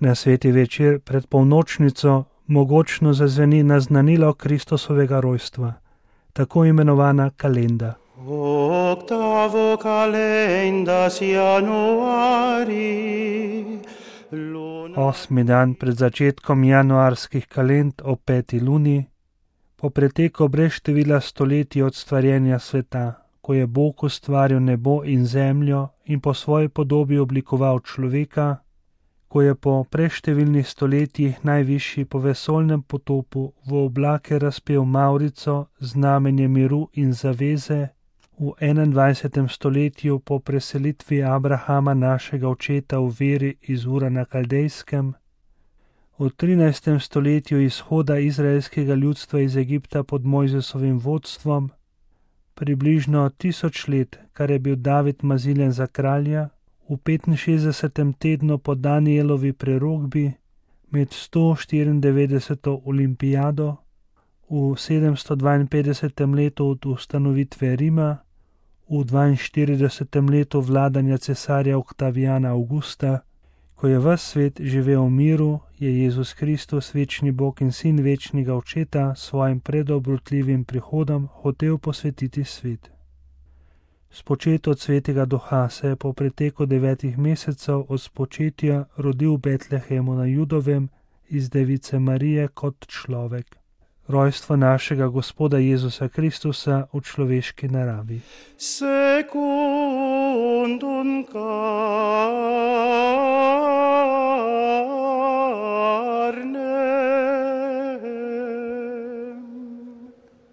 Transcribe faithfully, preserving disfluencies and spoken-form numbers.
Na sveti večer pred polnočnico mogočno zazveni naznanilo Kristusovega rojstva, tako imenovana kalenda. Octavo calendas januari. Osmi dan pred začetkom januarskih kalend ob peti luni, po preteku brez števila stoletij od stvarjenja sveta, ko je Bog ustvaril nebo in zemljo in po svoji podobi oblikoval človeka, ko je po preštevilnih stoletjih najvišji po vesoljnem potopu v oblake razpel Mavrico, znamenje miru in zaveze, v enaindvajsetem stoletju po preselitvi Abrahama, našega očeta v veri iz Ura na Kaldejskem, v trinajstem stoletju izhoda izraelskega ljudstva iz Egipta pod Mojzesovim vodstvom, približno tisoč let, kar je bil David maziljen za kralja, v petinšestdesetem tednu po Danielovi prerokbi, med sto štiriindevetdeseto olimpijado, v sedemsto dvainpetdesetem letu od ustanovitve Rima, v dvainštiridesetem letu vladanja cesarja Oktavijana Avgusta, ko je ves svet živel v miru, je Jezus Kristus, večni Bog in sin večnega Očeta, svojim predobrotljivim prihodom hotel posvetiti svet. Spočet od svetega duha se je po preteku devetih mesecev od spočetja rodil v Betlehemu na Judovem iz device Marije kot človek. Rojstvo našega Gospoda Jezusa Kristusa v človeški naravi. Secundum